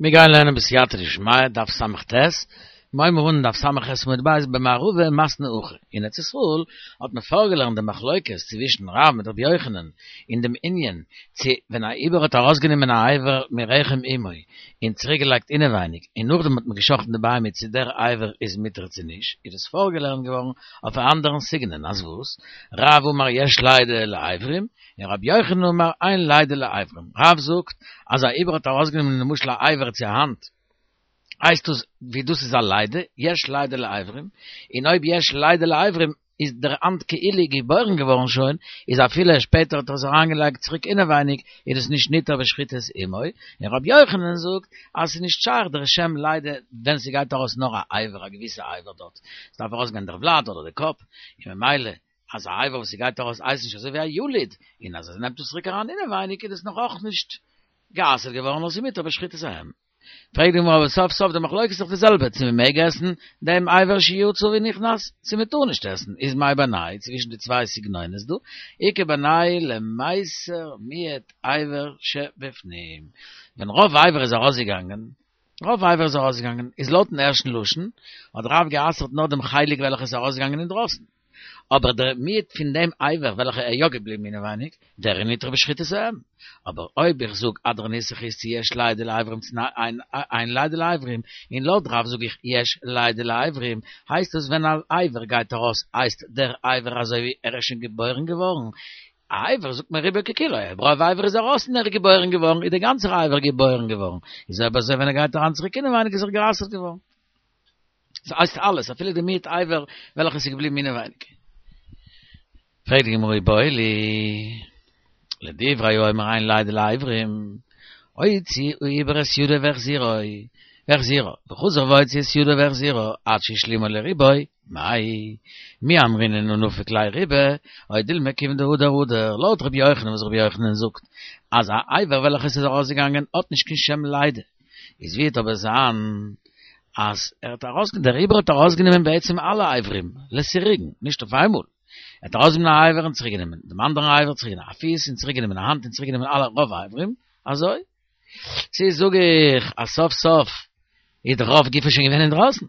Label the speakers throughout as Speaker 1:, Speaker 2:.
Speaker 1: מיר גייען לערנען בסייעתא דשמיא, דף ס"ט, מיר הייבן אן דף ס"ח עמוד ב' במערבא מתני הכי. אין ארץ ישראל האט מען פארגעלערנט די מחלוקת צווישן רב מיט רבי יוחנן אין דעם ענין צו ווען א עובר האט ארויסגענומען א אבר מרחם אמו און צוריק געלייגט אינעווייניג און נאכדעם האט מען גע'שחט'ן די בהמה צו דער אבר איז מותר צו נישט, איז דאס פארגעלערנט געווארן אויף א אנדערן סגנון אז וואס? רב אמר יש לידה לאברים, און רבי יוחנן אמר אין לידה לאברים, רב זאגט אז א עובר האט ארויסגענומען למשל א אבר צו א האנט, הייסט דאס ווי דאס איז א לידה, יש לידה לאברים, און אויב יש לידה לאברים איז דער האנט כאילו געבוירן געווארן שוין, איז אפילו שפעטער האט ער עס אריינגעלייגט צוריק אינעווייניג איז דאס נישט ניתר בשחיטת אמו, און רבי יוחנן זאגט אז ס'איז נישט שייך דער שם לידה ווען ס'גייט ארויס נאר א אבר א געוויסע אבר דארט, ס'דארף ארויסגיין דער ולד אדער די קאפ, און ממילא אז א אבר וואס ס'גייט ארויס הייסט נישט אזוי ווי א יליד, און אז ער נעמט עס צוריק אריין אינעווייניג איז עס נאך אויך נישט גע'אסר'ט געווארן נאר ס'איז מותר בשחיטת האם. פרעגט די גמרא אבער סוף סוף די מחלוקת איז דאך די זעלבע צו מ'מעג עסן דעם אבר שיצא ונכנס צו מ'טאר נישט עסן, איז מאי בינייהו צווישן די צוויי סגנונות דא, איכא בינייהו למיסר מיעוט אבר שבפנים, ווען רוב אבר איז ארויסגעגאנגען רוב אבר איז ארויסגעגאנגען, איז לויטן ערשטן לשון, האט רב גע'אסר'ט נאר דעם חלק וועלכע איז ארויסגעגאנגען אינדרויסן. אבער דער מיעוט פון דעם אבר וועלכע איז יא געבליבן אינעווייניג, דער איז ניתר בשחיטת האם. אבער אויב איך זאג אנדערע נוסח איז צו יש לידה לאברים צו אין לידה לאברים, און לויט רב זאג איך יש לידה לאברים, הייסט עס ווען א אבר גייט ארויס הייסט דער אבר אזוי ווי ער איז שוין געבוירן געווארן, א אבר זאגט מען רובו ככולו, אויב רוב אבר איז ארויס און ער איז געבוירן געווארן איז דער גאנצער אבר געבוירן געווארן, איז אויב אזוי ווען ער גייט אריין צוריק אינעווייניג איז ער גע'אסר'ט געווארן. ס'הייסט אלעס אפילו די מיעוט אבר וועלכע איז געבליבן אינעווייניג. פרעגט די גמרא איבעיא להו, לדברי האומר אין לידה לאברים, הוציא העובר את ידו והחזירו, והחזירה, וחזר והוציא את ידו והחזירה, עד שהשלימה לרובו, מאי, מי אמרינן הא נפיק ליה רובא, או דילמא כיוון דהדר הדר, לויט רבי יוחנן וואס רבי יוחנן זאגט אז א אבר וועלכע עס איז ארויסגעגאנגען האט נישט קיין שם לידה, איז ווי וועט אבער זיין אז ער האט ארויס דער עובר האט ארויסגענומען בעצם אלע אברים לסירוגין, נישט אויף איינמאל, ער האט ארויסגענומען א אבר און צוריק גענומען דעם אנדערן אבר צוריק גענומען א פיס און צוריק גענומען א האנט און צוריק גענומען אלע רוב אברים, אזוי? צו זאג איך אז סוף סוף איז דער רוב גופו שוין געווען אינדרויסן?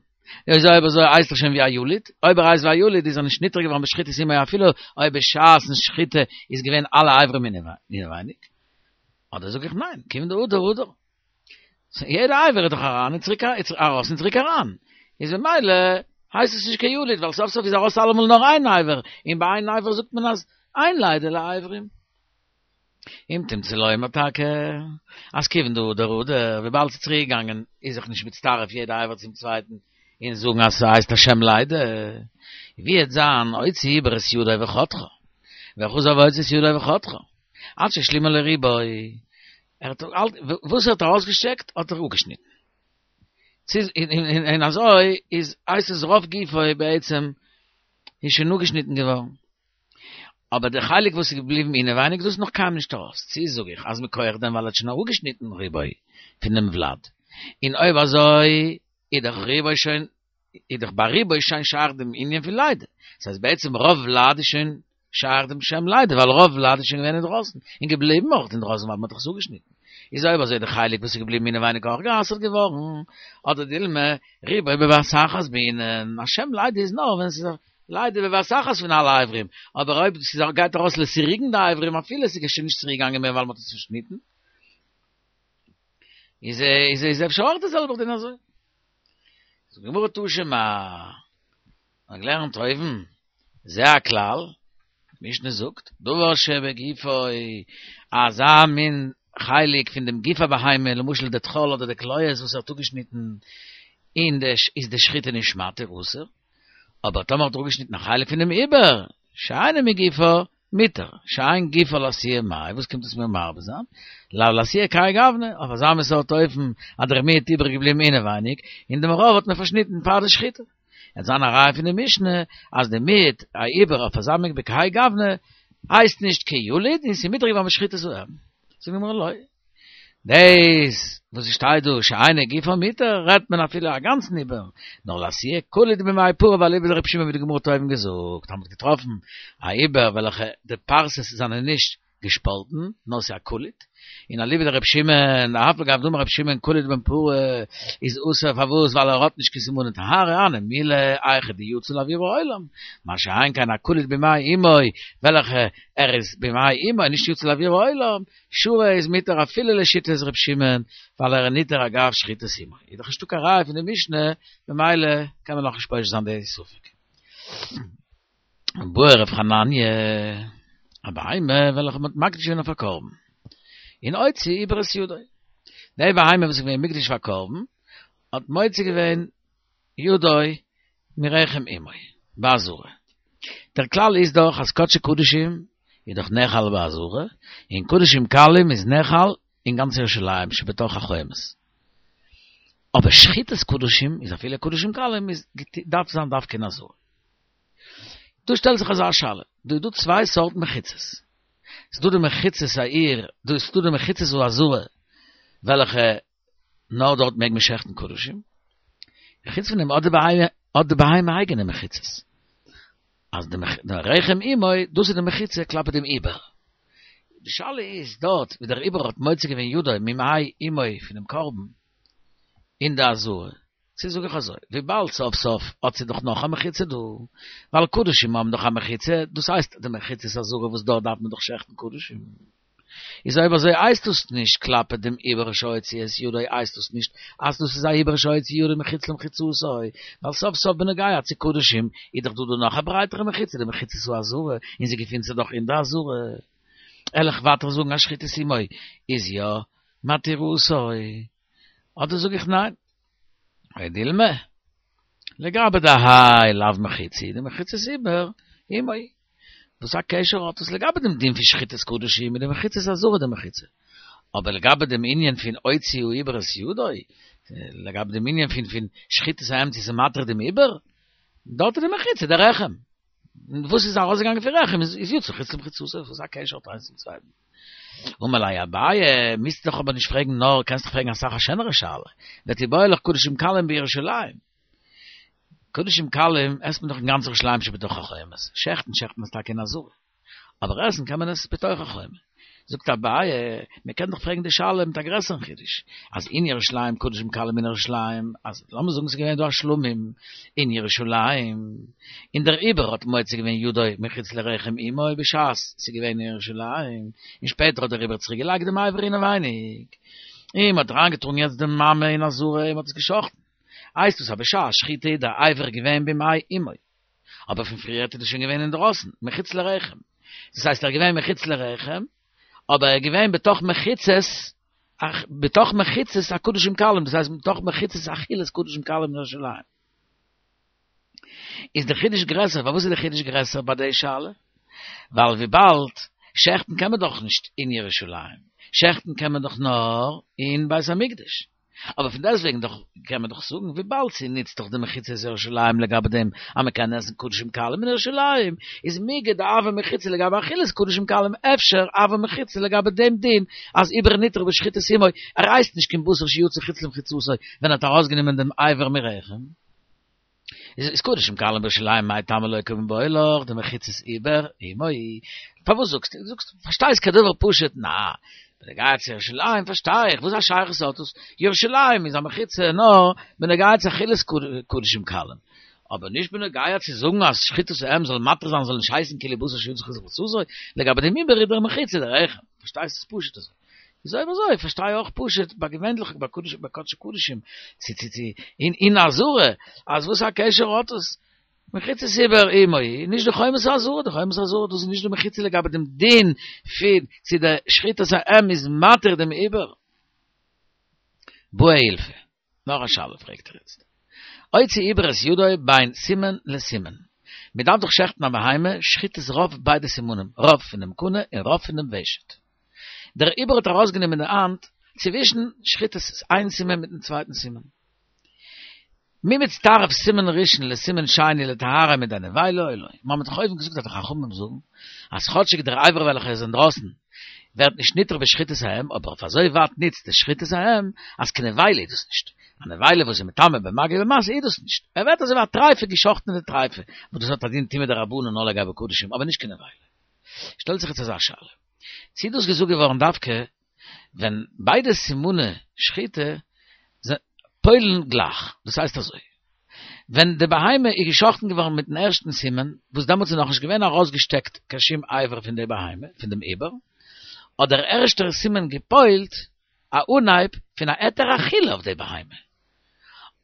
Speaker 1: איז אויב אזוי הייסט ער שוין ווי א יליד, אויב ער הייסט ווי א יליד איז ער נישט ניתר געווארן בשחיטת אמו אפילו אויב בשעת'ן שחיטה איז געווען אלע אברים אינעווייניג, אדער זאג איך ניין, כיוון דהדר הדר. יעדע אבר איז דאך אריין און צוריק ארויס און צוריק אריין, איז ממילא הייסט עס נישט קיין יליד ווייל סוף סוף איז ארויס אלעמאל נאר איין אבר, און ביי איין אבר זאגט מען אז אין לידה לאברים. אם תמצא לומר טאקע אז כיוון דהדר הדר, וויבאלד ס'איז צוריק געגאנגען איז זיך נישט מצטרף יעדע אבר צום צווייטן און זאגן אז ס'הייסט א שם לידה, ווי וועט זיין הוציא העובר את ידו וחתכה, וחזר והוציא את ידו וחתכה, עד שהשלימה לרובו, ער האט וואס ער האט ארויסגעשטעקט האט ער אפגעשניטן. ס'איז און אזוי איז הייסט עס רוב גופו בעצם איז שוין אפגעשניטן געווארן. אבער די חלק וואס איז געבליבן אינעווייניג דאס איז נאך קיינמאל נישט ארויס. צו זאג איך אז מכח דעם ווייל ער האט שוין אראפגעשניטן רובו פונעם ולד. און אויב אזוי איז דאך רובו שוין איז דאך ביי רובו שוין שייך דעם ענין פון לידה. דאס הייסט בעצם רוב ולד איז שוין שייך דעם שם לידה, ווייל רוב ולד איז שוין געווען אינדרויסן, און געבליבן אויך אינדרויסן ווייל מען האט דאך עס אפגעשניטן. איז אויב אזוי די חלק וואס איז געבליבן אינעווייניג אויך גע'אסר'ט געווארן, אדער דילמא רובו בבת אחת בעינן, א שם לידה איז נאר ווען ס'איז א לידה בבת אחת פון אלע אברים, אבער אויב ס'גייט ארויס לסירוגין די אברים אפילו ס'איז שוין נישט צוריק געגאנגען מער ווייל מ'האט עס צושניטן, איז איז איז אפשר אויך די זעלבע דין אזוי. זאגט די גמרא תא שמע, מ'האט געלערנט אויבן, זה הכלל, משנה זאגט, דבר שבגופו, אזא מין חלק פון דעם גוף הבהמה, למשל די טחול אדער די כליות וואס ער האט אפגעשניטן, און די איז די שחיטה נישט מתיר אסור, אבער טאמער האט ער אפגעשניטן א חלק פונעם עובר, שאינו מגופו, מותר, שאין גופו לאתויי מאי, וואס קומט עס מיר מרבה זיין? לאו לאתויי כהאי גוונא, אויף אזא מין סארט אופן אז דער מיעוט איבער געבליבן אינעווייניג, און דעם רוב האט מען פארשניטן פאר די שחיטה. וועט זיין א ראיה פון די משנה אז די מיעוט העובר אויף אזא מין בכהאי גוונא הייסט נישט כיליד און ס'איז מותר געווארן בשחיטת האם. זאגט די גמרא לא. דאס וואס ס'שטייט דא שאינו גופו מותר רעדט מען אפילו א גאנצן עובר, נאר לאתויי קוליט במעי פרה ואליבא דרבי שמעון ווי די גמרא האט אויבן געזאגט אז מ'האט געטראפן א עובר וועלכע די פרסות זענען נישט געשפאלטן נאר ס'איז א קוליט. און אליבא דרבי שמעון, אף על גב דאמר רבי שמעון קוליד בן פרה איז אסור פארוואס ווייל ער האט נישט קיין סימני טהרה הני מילי היכא דיצא לאוויר העולם, מה שאין כן א קוליד במעי אמו וועלכע ער איז במעי אמו נישט יצא לאוויר העולם, שרי איז מותר אפילו לשיטת ר' שמעון ווייל ער איז נטהר אגב שחיטת אמו. איז דאך נישטא קיין ראיה פון די משנה ממילא קען מען נאכנישט פושט זיין די ספק. בעי רב חנניה, א בהמה וועלכע מ'האט מקדיש געווען אויף א קרבן, און הוציא עובר את ידו. די בהמה וואס איז געווען מוקדש פאר קרבן, האט מוציא געווען ידו מרחם אמו, בעזרה. דער כלל איז דאך אז קדשי קדשים איז דאך נאכל בעזרה, און קדשים קלים איז נאכל אין גאנץ ירושלים שבתוך החומות. אבער שחיטת קדשים איז אפילו קדשים קלים איז דארף זיין דווקא אין עזרה. דא שטעלט זיך אזא שאלה, דא איז דא צוויי סארט מחיצות, ס'איז דא די מחיצות העיר, דא איז דא די מחיצות העזרה וועלכע נאר דארט מעג מען שעכטן קדשים, חוץ פון דעם האט די בהמה האט די בהמה אייגענע מחיצות, אז די רחם אמו דאס איז די מחיצה כלפי דעם עובר. די שאלה איז דארט ווי דער עובר האט מוציא געווען ידו ממעי אמו פונעם קרבן אין די עזרה, צו זאג איך אזוי, וויבאלד סוף סוף האט זי דאך נאך א מחיצה דא, ווייל קדשים האבן דאך א מחיצה, דאס הייסט די מחיצת עזרה וואס דארט דארף מען דאך שעכטן קדשים. איז אויב אזוי הייסט דאס נישט כלפי דעם עובר שהוציא את ידו הייסט דאס נישט אז דאס איז א עובר שהוציא ידו מחוץ למחיצתו, ווייל סוף סוף בנוגע צו קדשים איז דאך דא דא נאך א ברייטערע מחיצה די מחיצת העזרה און זי געפינט זיך דאך אין די עזרה. וועל איך ווייטער זאגן אז שחיטת אמו איז יא מתירתו. אדער זאג איך ניין? או דילמא, לגבי דהאי לאו מחיצה, די מחיצת עובר אמו. וואס א קשר האט עס לגבי דעם דין פון שחיטת קדשים מיט די מחיצת עזרה די מחיצה? אבער לגבי דעם ענין פון הוציא העובר את ידו, לגבי דעם ענין פון פון שחיטת האם צו ס'איז מתיר דעם עובר, דארט איז די מחיצה די רחם. וואס איז ארויסגעגאנגען פון רחם איז יצא חוץ למחיצתו, וואס א קשר האט איינס צום צווייטן? אמר ליה אביי, מוזט דאך אבער נישט פרעגן נאר, קענסט דאך פרעגן אסאך א שענערע שאלה, ותיבעי לך קדשים קלים בירושלים. קדשים קלים עסט מען דאך אין גאנץ ירושלים שבתוך החומות, שעכטן שעכט מען עס טאקע אין עזרה, אבער עסן קען מען עס בתוך החומה. זאגט אביי, מען קען דאך פרעגן די שאלה מיט א גרעסערן חידוש, אז אין ירושלים קדשים קלים אין ירושלים, אז לאמיר זאגן ס'איז געווען דא א שלמים אין ירושלים, און דער עובר האט מוציא געווען ידו מחוץ לרחם אמו בשעת ס'איז געווען אין ירושלים, און שפעטער האט דער עובר צוריק געלייגט דעם אבר אינעווייניג, און מ'האט אריינגעטראגן יעצט די מאמע אין עזרה און מ'האט עס גע'שחט'ן, הייסט דאס אז בשעת שחיטה איז דער אבר געווען במעי אמו, אבער פון פריער איז עס שוין געווען אינדרויסן, מחוץ לרחם, דאס הייסט ער איז געווען מחוץ לרחם, אבער ער איז געווען בתוך מחיצות, בתוך מחיצות הקדשים קלים, דאס הייסט בתוך מחיצות אכילת קדשים קלים אין ירושלים. איז די חידוש גרעסער, פארוואס איז די חידוש גרעסער ביי די שאלה? ווייל וויבאלד שעכטן קען מען דאך נישט אין ירושלים, שעכטן קען מען דאך נאר אין בית המקדש, אבער פון דעסטוועגן דאך קען מען דאך זאגן וויבאלד ס'נוצט דאך די מחיצות ירושלים לגבי דעם אז מ'קען עסן קדשים קלים אין ירושלים, איז מיגו דהוה מחיצה לגבי אכילת קדשים קלים אפשר הוה מחיצה לגבי דעם דין אז עובר נטהר בשחיטת אמו, ער הייסט נישט קיין בשר שיצא חוץ למחיצתו ווען ער האט ארויסגענומען דעם אבר מרחם. איז קדשים קלים בירושלים מאי טעמא לא קמיבעיא לך דמחיצת עובר אמו פארוואס זאגסטו דו זאגסט פארשטייסט כדבר פשוט נא בנוגע צו ירושלים פארשטיי איך וואס א שייכות האט עס ירושלים איז א מחיצה נאר בנוגע צו אכילת קדשים קלים אבער נישט בנוגע צו זאגן אז שחיטת האם זאל מתיר זיין זאל נישט הייסן כאילו בשר שיצא חוץ למחיצתו לגבי דעם עובר איז דער מחיצה דער רחם פארשטייסט עס פשוט אזוי. איז אויב אזוי פארשטיי אויך פשוט ביי געווענליך ביי קדש ביי קדשי קדשים צו צו צו אין אין עזרה אז וואס א קשר האט עס מחיצת עובר אמו נישט די חומת העזרה די חומת העזרה דאס איז נישט די מחיצה לגבי דעם דין פון צו די שחיטת האם איז מתיר דעם עובר. בעי אילפא. נאך א שאלה פרעגט ער איצט. הוציא עובר את ידו בין סימן לסימן. מען דארף דאך שעכטן א בהמה, שחיטת רוב ביידע סימנים, רוב פונעם קנה און רוב פונעם ושט. דער עובר האט ארויסגענומען די האנט צווישן שחיטת איין סימן מיטן צווייטן סימן. מי מצטרף סימן ראשון לסימן שני לטהרה מידי נבילה או לא. מיר האבן דאך אויבן געזאגט אז די חכמים זאגן אז כאטשיג דער אבר וועלכער איז אינדרויסן ווערט נישט נטהר בשחיטת האם, אבער אויף אזוי ווייט ניצט די שחיטת האם, אז קיין נבילה איז דאס נישט. א נבילה וואס איז מטמא במגע ובמשא איז דאס נישט. ער ווערט אזוי ווי א טרייפה געשאכטענע טרייפה, וואס דאס האט א דין טומאה דרבנן נאר לגבי קדשים, אבער נישט קיין נבילה. שטעלט זיך יעצט אזא שאלה. צי איז דאס געזאגט געווארן דווקא. ווען ביידע סימני שחיטה פועל'ן גלייך, דאס הייסט אזוי, ווען די בהמה איז געשחט'ן געווארן מיטן ערשטן סימן, וואס דעמאלטס איז נאכנישט געווען ארויסגעשטעקט קיין שום אבר פון די בהמה, פון דעם עובר, האט דער ערשטער סימן געפועל'ט א אנהייב פון א היתר אכילה אויף די בהמה.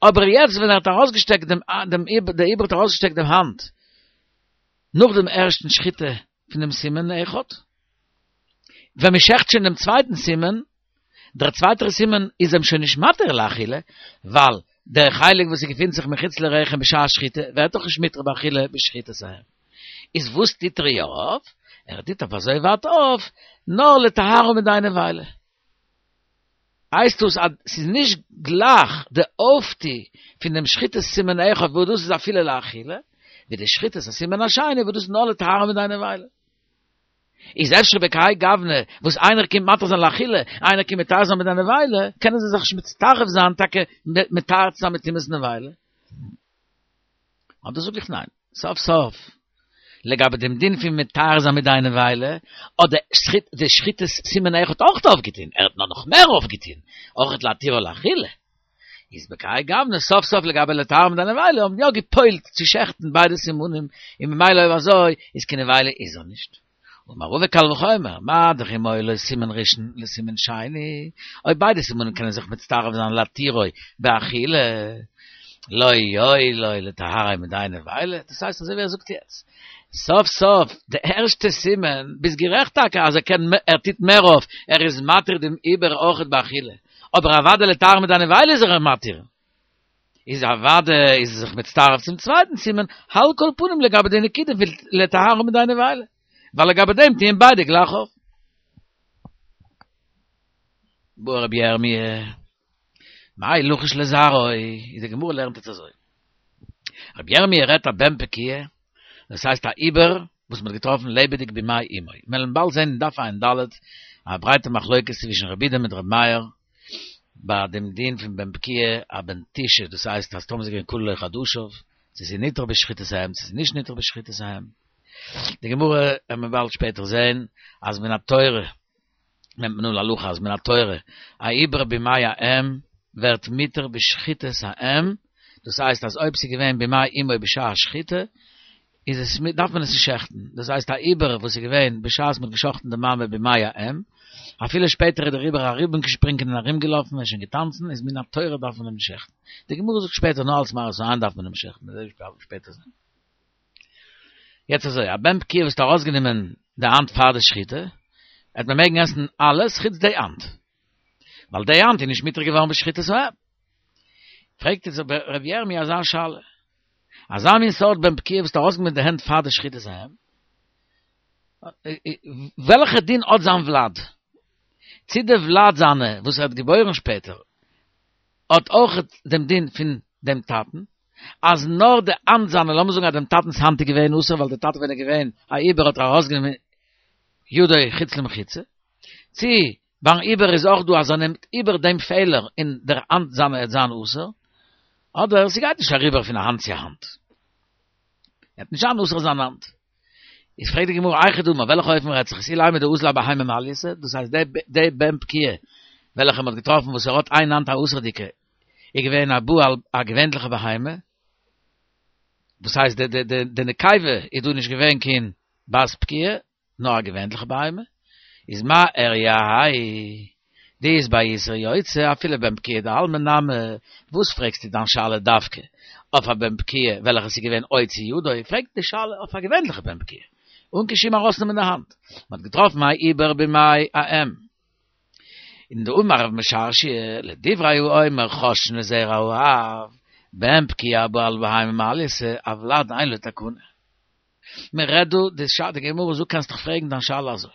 Speaker 1: אבער יעצט ווען ער האט ארויסגעשטעקט דעם, דעם דער עובר האט ארויסגעשטעקט דעם האנט נאך דעם ערשטן שחיטה פון דעם סימן אחד, ווען מען שעכט שוין דעם צווייטן סימן, דער צווייטער סימן איז אים שוין נישט מתיר לאכילה, ווייל דער חלק וואס געפינט זיך מחוץ לרחם בשעת שחיטה ווערט דאך נישט מותר באכילה בשחיטת האם. איז וואס טוט ער יא אויף? ער טוט אויף אזוי ווייט אויף, נאר לטהרו מידי נבילה. הייסט דאס אז ס'איז נישט גלייך די אויפטו פון דעם שחיטת סימן אחד וואס דאס איז אפילו לאכילה, ווי די שחיטת הסימן השני וואס דאס איז נאר לטהרו מידי נבילה. איז אפשר בכהאי גוונא וואס איינער קומט מתיר זיין לאכילה, איינער קומט מטהר זיין מידי נבילה, קענען זיי זיך נישט מצטרף זיין טאקע מטהר צו זיין מיט טומאת נבילה? אדער זאג איך ניין, סוף סוף, לגבי דעם דין פון מטהר זיין מידי נבילה, האט די שחיטת סימן אחד אויך אויפגעטון, ער האט נאר נאך מער אויפגעטון, אויך להתירו לאכילה. איז בכהאי גוונא סוף סוף לגבי לטהר מידי נבילה האבן יא געפועלט צו שעכטן ביידע סימנים, און ממילא אויב אזוי איז קיין נבילה איז ער נישט. אמר רבא קל וחומר, מה דאך אם היה לו סימן ראשון לסימן שני, אויב ביידע סימנים קענען זיך מצטרף זיין להתירו באכילה, לא יועיל לו לטהרו מידי נבילה, דאס הייסט אזוי ווי ער זאגט יעצט, סוף סוף די ערשטע סימן, ביסט גערעכט טאקע אז ער קען ער טוט מער אויף, ער איז מתיר דעם עובר אויכעט באכילה, אבער אוודאי לטהר מידי נבילה איז ער מתיר. איז אוודאי איז ער זיך מצטרף צום צווייטן סימן, על כל פנים לגבי די נקודה פון לטהרו מידי נבילה, ווייל לגבי דעם טוען ביידע גלייך אויף. בעי רבי ירמי', מאי לחש לזרעו, איז די גמרא לערנט עס אזוי. רבי ירמי' רעדט א בן פקיעה, דאס הייסט א עובר וואס מ'האט געטראפן לעבעדיג במעי אמו. מיר וועלן באלד זען אין דף ע"ד א ברייטע מחלוקת צווישן רבי יהודה מיט רבי מאיר ביי דעם דין פון בן פקיעה א בן תשעה, דאס הייסט אז טאמער ס'איז געווען כלו לו חדשיו, צו ס'איז ניתר בשחיטת האם צו ס'איז נישט ניתר בשחיטת האם. די גמרא וועט מען באלד שפעטער זען אז מן התורה נעמט מען אן להלכה אז מן התורה א עובר במעי האם ווערט מותר בשחיטת האם, דאס הייסט אז אויב ס'איז געווען במעי אמו בשעת שחיטה איז עס דארף מען עס נישט שעכטן, דאס הייסט א עובר וואס איז געווען בשעת מ'האט געשאכטן די מאמע במעי האם, אפילו שפעטער איז דער עובר ארומגעשפרינגען און ארומגעלאפן און שוין געטאנצן, איז מן התורה דארף מען אים נישט שעכטן. די גמרא זאגט שפעטער נאר אלס מראית עין דארף מען אים שעכטן, מ'וועט שפעטער זען. יעצט אזוי, א בן פקיעה וואס האט ארויסגענומען די האנט פאר די שחיטה, וועט מען מעגן עסן אלעס חוץ די האנט, ווייל די האנט איז נישט מותר געווארן בשחיטת האם. פרעגט יעצט ר' ירמי' אזא שאלה, אזא מין סארט בן פקיעה וואס האט ארויסגענומען די הענט פאר די שחיטת האם, וועלכע דין האט זיין ולד? צו די ולד זיינע וואס ער האט געבוירן שפעטער האט אויך דעם דין פון דעם טאטן, אז נאר די האנט זיינע, לאמיר זאגן אז דעם טאטנ'ס האנט איז געווען אסור ווייל דער טאטע ווען ער איז געווען א עובר האט ער ארויסגענומען ידו חוץ למחיצה, צי ביים עובר איז אויך דא אז ער נעמט איבער דעם פעלער און דער האנט זיינע וועט זיין אסור, אדער ס'גייט נישט אריבער פון א האנט צו א האנט. ער וועט נישט זיין אסור זיין האנט. איז פרעגט די גמרא היכי דמי, אויף וועלכע אופן רעדט זיך עס, אילימא דאזל אבהמה מעלייתא, דאס הייסט די בן פקיעה וועלכע מ'האט געטראפן וואס ער האט איין האנט א אסור'דיגע, איז געווען א בא על א געווענליכע בהמה, דאס הייסט די די די די נקבה איז דא נישט געווען קיין בת פקיעה, נאר א געווענליכע בהמה, איז מה איריא האי דאית ביה איסור יוצא אפילו בן פקיעה דעלמא נמי, וואס פרעגסטו דיין שאלה דווקא אויף א בן פקיעה וועלכע ס'איז געווען הוציא ידו, פרעג די שאלה אויף א געווענליכע בן פקיעה אן קיין שום ארויסנעמען די האנט, מ'האט געטראפן א עובר במעי האם. און דאמר רב משרשיא, לדברי האומר חוששין לזרע האב, בן פקיעה הבא על בהמה מעלייתא, הולד אין לו תקנה. מען רעדט דא, די שאלה, די גמרא זאגט קענסט דיך פרעגן דיין שאלה אזוי,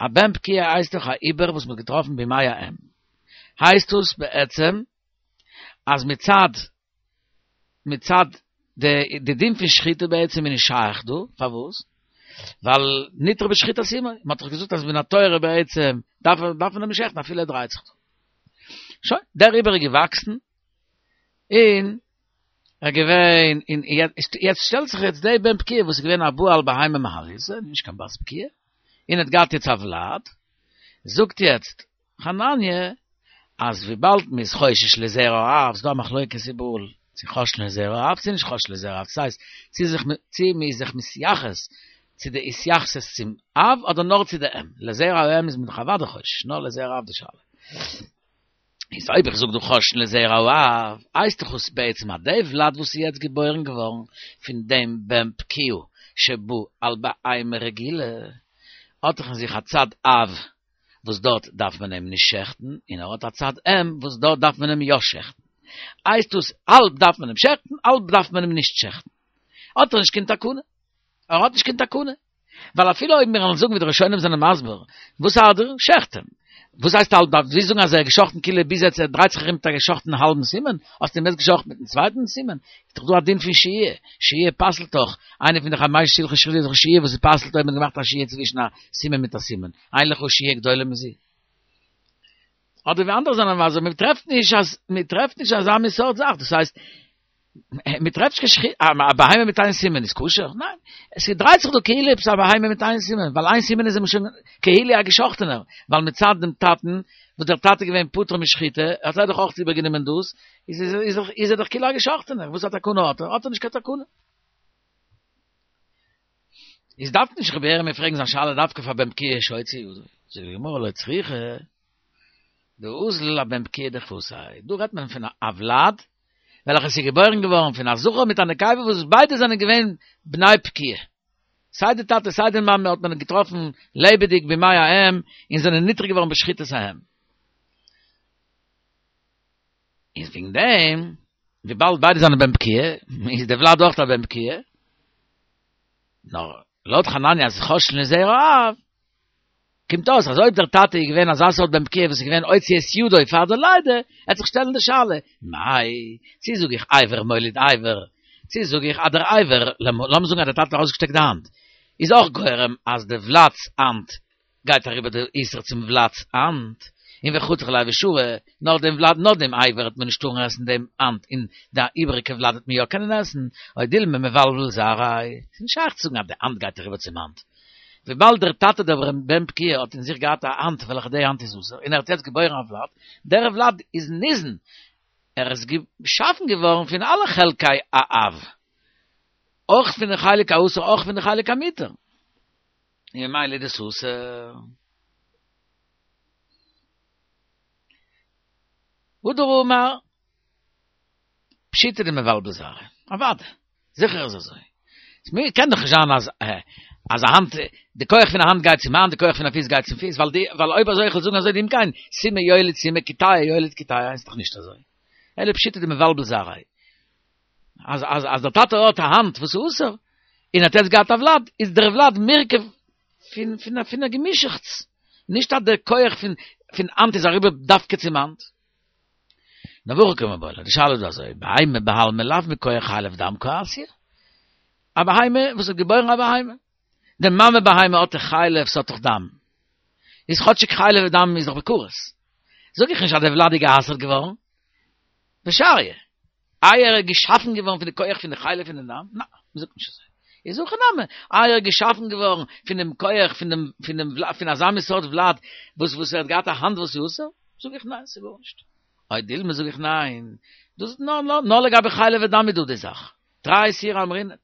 Speaker 1: א בן פקיעה הייסט דאך א עובר וואס מען האט געטראפן במעי האם, הייסט דאס בעצם אז מצד מצד די די דין פון שחיטה בעצם איז נישט שייך דא, פארוואס? ווייל ניתר בשחיטת אמו, מען האט דאך געזאגט אז מן התורה בעצם דארף דארף מען אים נישט שעכטן אפילו ער דרייט זיך דא. שוין, דער עובר איז געוואקסן, און ער געווען און יעצט שטעלט זיך יעצט די בן פקיעה וואס איז געווען א בא על בהמה מעלייתא, נישט קיין בת פקיעה, און האט געהאט יעצט א ולד, זאגט יעצט. חנניה אז וויבאלד מ'איז חושש לזרע האב, ס'דא א מחלוקת איבעראל צו חוששין לזרע האב צו נישט חוששין לזרע האב, ס'הייסט צו זיך צו מ'איז זיך מתייחס צו די התייחסות צום אב אדער נאר צו די אם, לזרע האם איז מען דאך אוודאי חושש, נאר לזרע האב די שאלה. איז אויב איך זאג דא חוששין לזרע האב, הייסט דאך עס בעצם אז די ולד וואס איז יעצט געבוירן געווארן פון דעם בן פקיעה שבא על בהמה רגילה, האט דאך אין זיך א צד אב וואס דארט דארף מען אים נישט שעכטן, און ער האט א צד אם וואס דארט דארף מען אים יא שעכטן. הייסט דאס האלב דארף מען אים שעכטן, האלב דארף מען אים נישט שעכטן. האט ער נישט קיין תקנה. ער האט נישט קיין תקנה. ווייל אפילו אויב מיר וועלן זאגן ווי די ראשונים זענען מסביר, וואס ארט דיר? שעכט אים. וואס הייסט האלב דארף? ווילסט זאגן אז ער איז געשאכטן כאילו ביז יעצט ער דרייט זיך ארום מיט א געשאכטן האלבן סימן? האסט אים יעצט געשאכטן מיטן צווייטן סימן? איז דאך דא א דין פון שהייה, שהייה פסל'ט דאך, איינע פון די חמשה הלכות שחיטה איז דאך שהייה וואס פסל'ט אויב מען האט געמאכט א שהייה צווישן א סימן מיט א סימן, אין לך שהייה גדולה מזו. אדער ווי אנדערע זענען מסביר, מען טרעפט נישט אז מען טרעפט נישט אזא מין סארט זאך, דאס הייסט מען טרעפט נישט קיין א בהמה מיט איין סימן איז כשר? ניין, עס דרייט זיך דא כאילו עפעס א בהמה מיט איין סימן, ווייל איין סימן איז אים שוין כאילו א געשאכטענער, ווייל מצד דעם טאטן, וואס דער טאטע איז געווען פטור משחיטה, האט ער דאך אויך איבערגענומען דאס, איז ער דאך כאילו א געשאכטענער, וואס א תקנה האט ער? האט ער נישט קיין תקנה. איז דארף נישט רבי ירמי' פרעגן זיין שאלה דווקא פאר בן פקיעה שהוציא ידו, זאגט די גמרא לא צריכא דאזיל אבן פקיעה דכוותיה, דא רעדט מען פון א ולד וועלכעס איז געבוירן געווארן פון א זכר מיט א נקבה וואס ביידע זענען געווען בני פקיעה, סיי די טאטע סיי די מאמע האט מען געטראפן לעבעדיג במעי האם און זענען נטרף געווארן בשחיטת האם. איז וועגן דעם, וויבאלד ביידע זענען בן פקיעה, איז די ולד אויך א בן פקיעה, נאר לויט חנניה אז חוששין לזרע האב, קומט אויס אז אויב דער טאטע איז געווען אזא סארט בן פקיעה וואס איז געווען הוציא את ידו פאר די לידה, עט זיך שטעלן די שאלה, מאי, צי זאג איך אבר מוליד אבר, צי זאג איך אז דער אבר, לאמיר זאגן אז דער טאטע האט ארויסגעשטעקט די האנט, איז אויך גורם אז די ולד'ס האנט גייט אריבער די איסור צום ולד'ס האנט, און וחתיך ליה ושרי, נאר דעם ולד נאר דעם אבר וועט מען נישט טארן עסן דעם האנט און די איבעריגע ולד וועט מען יא קענען עסן, או דילמא מבלבל זרעיה, ס'איז נישט שייך צו זאגן אז די האנט גייט אריבער צום האנט, וויבאלד דער טאטע דער בן פקיעה האט אין זיך געהאט א האנט וועלכע די האנט איז אסור און ער האט יעצט געבוירן א ולד, דער ולד איז ניזון, ער איז געשאפן געווארן פון אלע חלקי האב, אויך פון די חלק האסור אויך פון די חלק המותר. און ממילא איז דאס אסור. הדר אמר, פשיטא דמבלבל זרעיה, אוודאי, זיכער איז אזוי. קען דאך נישט זיין אז אז א האנט, די כח פון א האנט גייט צום האנט, די כח פון א פיס גייט צום פיס, ווייל די, ווייל אויב אזוי איך וועל זאגן אזוי דאם כן, סימא יוליד סימא, קיטאי יוליד קיטאי, איז דאך נישט אזוי. אלא פשיטא דמבלבל זרעיה. אז אז אז דער טאטע האט א האנט וואס איז אסור, און האט יעצט געהאט א ולד, איז דער ולד מורכב פון פון פון א געמישעכטס, נישט אז דער כח פון פון האנט איז אריבער דווקא צום האנט. נאר והכי קמיבעיא ליה, די שאלה איז דא אזוי, בהמה בעלמא לאו מכח חלב ודם קא אתיא, א בהמה וואס האט געבוירן א בהמה, די מאמע בהמה האט דאך חלב, ס'האט דאך דם, איז כאטשיג חלב ודם איז דאך בכרת, זאג איך נישט אז דער ולד איז גע'אסר'ט געווארן, ושריא. איי ער איז געשאפן געווארן פון די כח פון די חלב פון די דם? ניין, מ'זאגט נישט אזוי. איז הכא נמי, איי ער איז געשאפן געווארן פון דעם כח פון דעם פון דעם פון אזא מין סארט ולד וואס וואס ער האט געהאט א האנט וואס איז אסור? זאג איך ניין, ס'איז גארנישט. או דילמא זאג איך ניין, דאס איז נאר נאר נאר לגבי חלב ודם איז דא די זאך. תרי איסורי אמרינן.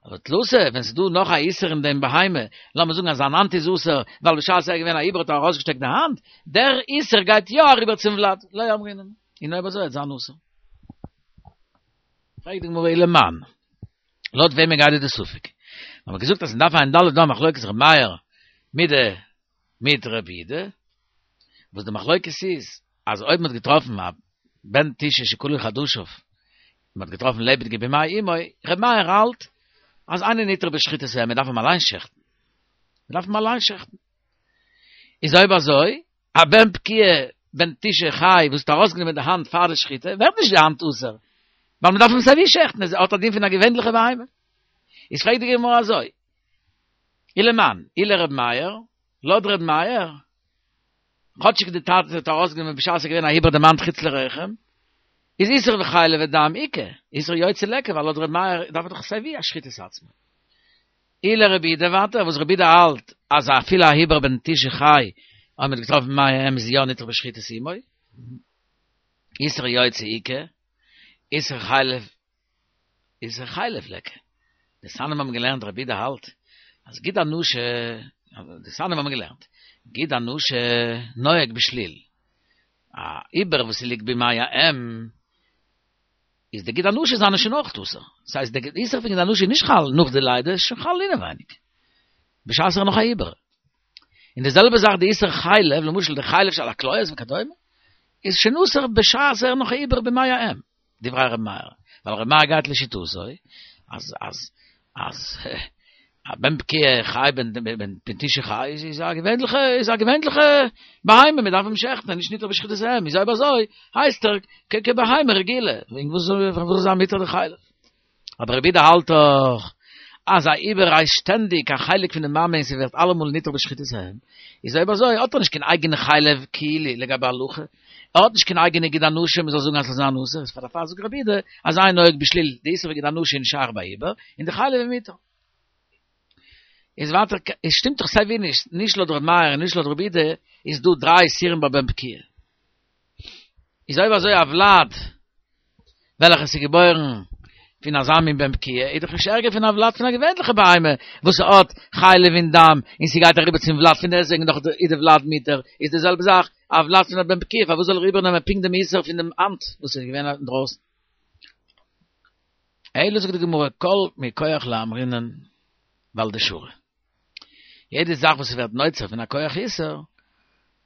Speaker 1: אבער תלתא, ווען ס'איז דא נאך א איסור אין דעם בהמה, לאמיר זאגן אז זיין האנט איז אסור, ווייל בשעת ער איז געווען א עובר האט ער ארויסגעשטעקט די האנט, דער איסור גייט יא אריבער צום ולד, לא אמרינן. און אויב אזוי וועט זיין אסור. פרעגט די גמרא ולמאן, לויט וועמען גייט דא די ספק? מיר האבן געזאגט אז אין דף ע"ד איז דא א מחלוקת ר' מאיר מיט די מיט ר' יהודה, וואס די מחלוקת איז אז אויב מ'האט געטראפן א בן תשעה שכלו חדשיו, מ'האט געטראפן לעבעדיגע במעי אמו, ר' מאיר האלט אז אינו נטרף בשחיטת האם, מ'דארף אים אליין שעכטן, מ'דארף אים אליין שעכטן. איז אויב אזוי א בן פקיעה בן תשעה חי וואס האט ארויסגענומען די האנט פאר די שחיטה ווערט נישט די האנט אסור, ווייל מען דארף אים סייווי שעכטן, עס האט א דין פון א געווענליכע בהמה. איז פרעגט די גמרא אזוי, ולמאן, אי לר' מאיר, לויט ר' מאיר, כאטשיג די טאטע האט ארויסגענומען בשעת עס איז געווען א עובר דעם האנט חוץ לרחם, איז איסור וחלב ודם איכא, איסור יוצא ליכא, ווייל לויט ר' מאיר דארף ער דאך סייווי א שחיטת עצמו. אי לרבי יהודה ווייטער וואס רבי יהודה האלט אז אפילו א עובר בן תשעה חי. אויב מ'האט געטראפן במעי האם איז יא נדחה בשחיטת אמו. איסור יוצא איכא, איסור חלב איסור חלב ליכא. די תנאים האבן געלערנט רבי יהודה האלט אז גיד הנשה, די תנאים האבן געלערנט, גיד הנשה נוהג בשליל, א עובר וואס ס'ליגט במעי האם, איז די גיד הנשה זיינע שוין אויך אסור. דאס הייסט די איסור פון גיד הנשה איז נישט חל נאך די לידה, איז שוין חל אינעווייניג. בשעת ער איז נאך א עובר. און די זעלבע זאך די איסור חלב, למשל די חלב שעל הכליות וכדומה, איז שוין אסור בשעת ער איז נאך א עובר במעי האם. דברי ר' מאיר, ווייל ר' מאיר גייט לשיטתו אז אז אז א בן פקיעה חי בן בן תשעה חי איז איז א געווענליכע איז א געווענליכע בהמה מען דארף אים שעכטן נישט נדחה בשחיטת האם איז אויב אזוי הייסט ער כבהמה רגילה וועגן וואס זאל זיין מותר די חלב אבער רבי יהודה האלט דאך אז א עובר הייסט שטענדיג א חלק פון די מאמע און ס'ווערט אלעמאל נדחה בשחיטת האם, איז אויב אזוי האט ער נישט קיין אייגענע חלב כאילו לגבי הלכה, ער האט נישט קיין אייגענע גיד הנשה מ'זאל זאגן אז ס'זאל זיין אסור, איז פאר דערפאר זאגט רבי יהודה אז אין נוהג בשליל, די איסור פון גיד הנשה איז נישט שייך ביי עובר, און די חלב איז מותר. איז ווייטער, עס שטימט דאך סייווי נישט, נישט לויט ר' מאיר און נישט לויט רבי יהודה איז דא דריי איסורים ביי בן פקיעה. איז אויב אזוי א ולד וועלכע ס'איז געבוירן פון אזא מין בן פקיעה איז דאך נישט ערגער פון א ולד פון א געווענליכע בהמה וואס האט חלב און דם און ס'גייט אריבער צום ולד פון דעסטוועגן דאך איז די ולד מותר איז די זעלבע זאך א ולד פון א בן פקיעה פארוואס זאל ער איבערנעמען פונקט דעם איסור פון דעם האנט וואס איז געווען אינדרויסן? אלא זאגט די גמרא כל מכח לא אמרינן ווייל דשרי. יעדע זאך וואס ווערט נוצר פון א כח איסור,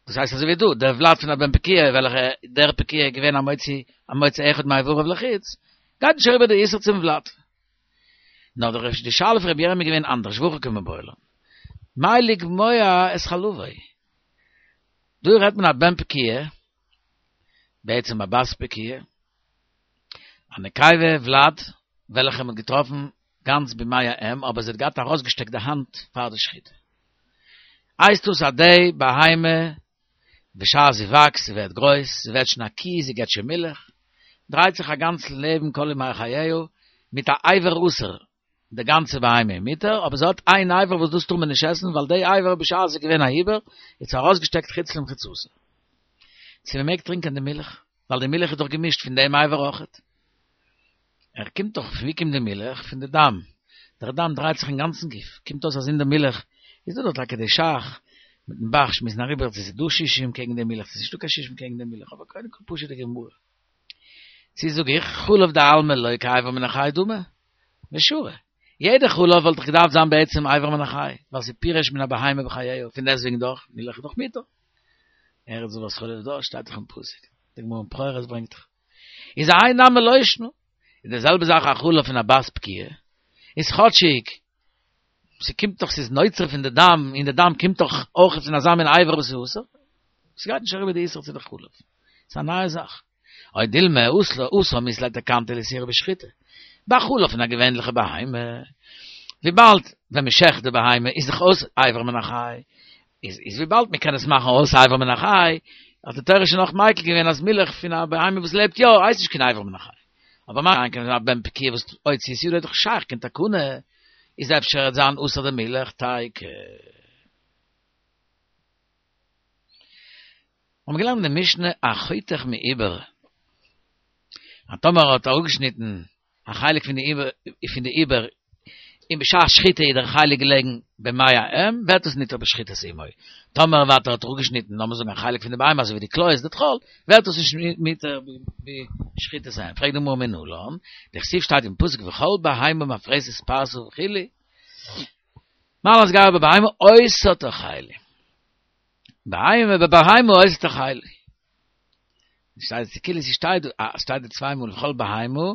Speaker 1: דאס הייסט אזוי ווי דא, דער ולד פון א בן פקיעה וועלכע דער פקיעה איז געווען א מוציא א מוציא אחד מאיבריו לחוץ, גייט נישט אריבער די איסור צום ולד. נאר די די שאלה פון רבי ירמי' איז געווען אנדערש, והכי קמיבעיא לן. מהו לגמוע את חלבו. דא רעדט מען א בן פקיעה, בעצם א בת פקיעה, א נקבה ולד וועלכע מ'האט געטראפן גאנץ במעי האם אבער זי האט געהאט ארויסגעשטעקט די האנט פאר די שחיטה. הייסט דאס אז די בהמה בשעת זי וואקסט, זי ווערט גרויס, זי ווערט שוין א קי, זי געבט שוין מילך, דרייט זיך א גאנץ לעבן כל ימי חייה מיט א אבר אסור, די גאנצע בהמה איז מותר, אבער זי האט איין אבר וואס דאס טאר מען נישט עסן ווייל די אבר בשעת זי איז געווען א עובר האט זי ארויסגעשטעקט חוץ למחיצתה. צו מען מעג טרינקען די מילך, ווייל די מילך איז דאך געמישט פון דעם אבר אויכעט. ער קומט דאך, פון ווי קומט די מילך? פון די דם. דער דם דרייט זיך אין גאנצן גוף, קומט אויס אז אין די מילך איז דא דאך טאקע די ש"ך מיטן ב"ח שמועסן אריבער צו ס'איז דא שישים קעגן די מילך צו ס'איז נישטא קיין שישים קעגן די מילך, אבער קודם כל פשוט'ע גמרא. צו זאג איך, חלב דעלמא לא כאבר מן החי דמי, ושרי. יעדע חלב וואלט דאך געדארפט זיין בעצם אבר מן החי, ווייל ס'איז פירש מן הבהמה בחייה, פון דעסטוועגן דאך, מילך איז דאך מותר. ארץ זבת חלב דבש שטייט דאך אין פסוק, די גמרא אין בכורות ברענגט דאך. איז האי נמי לא שנא. איז די זעלבע זאך א חלב פון א בת פקיעה, איז כאטשיג ס'קומט דאך ס'איז נוצר פון די דם, און די דם קומט דאך אויך פון אזא מין אבר וואס איז אסור, ס'גייט נישט אריבער די איסור צו די חלב. ס'איז א נייע זאך. או דילמא התם אית ליה תקנתא לאיסורא בשחיטה. ביי חלב פון א געווענליכע בהמה, וויבאלד ווען מ'שעכט די בהמה איז דאך אויס אבר מן החי, איז איז וויבאלד מ'קען עס מאכן אויס אבר מן החי, האט די תורה שוין אויך מיקל געווען אז מילך פון א בהמה וואס לעבט יא הייסט נישט קיין אבר מן החי. אבער מה שאין כן א בן פקיעה וואס הוציא את ידו איז דאך שייך קיין תקנה, איז אפשר וועט זיין אסור די מילך תיקו. האבן מיר געלערנט אין די משנה החותך מעובר, אז טאמער האט ער אפגעשניטן א חלק פון די פון די עובר, און בשעת שחיטה איז דער חלק געלעגן במעי האם, ווערט עס נדחה בשחיטת אמו. טאמער ווייטער האט ער אפגעשניטן, לאמיר זאגן א חלק פון די בהמה אזוי ווי די כליות די טחול, ווערט עס נישט מותר בשחיטת האם. פרעגט די גמרא מנלן, דכתיב שטייט אין פסוק וכל בהמה מפרסת פרסה וכו', מעלת גרה בבהמה אותה תאכלו. בהמה בבהמה אותה תאכלו. שטייט כאילו ס'שטייט דא, אה, ס'שטייט דא צוויי מאל וכל בהמה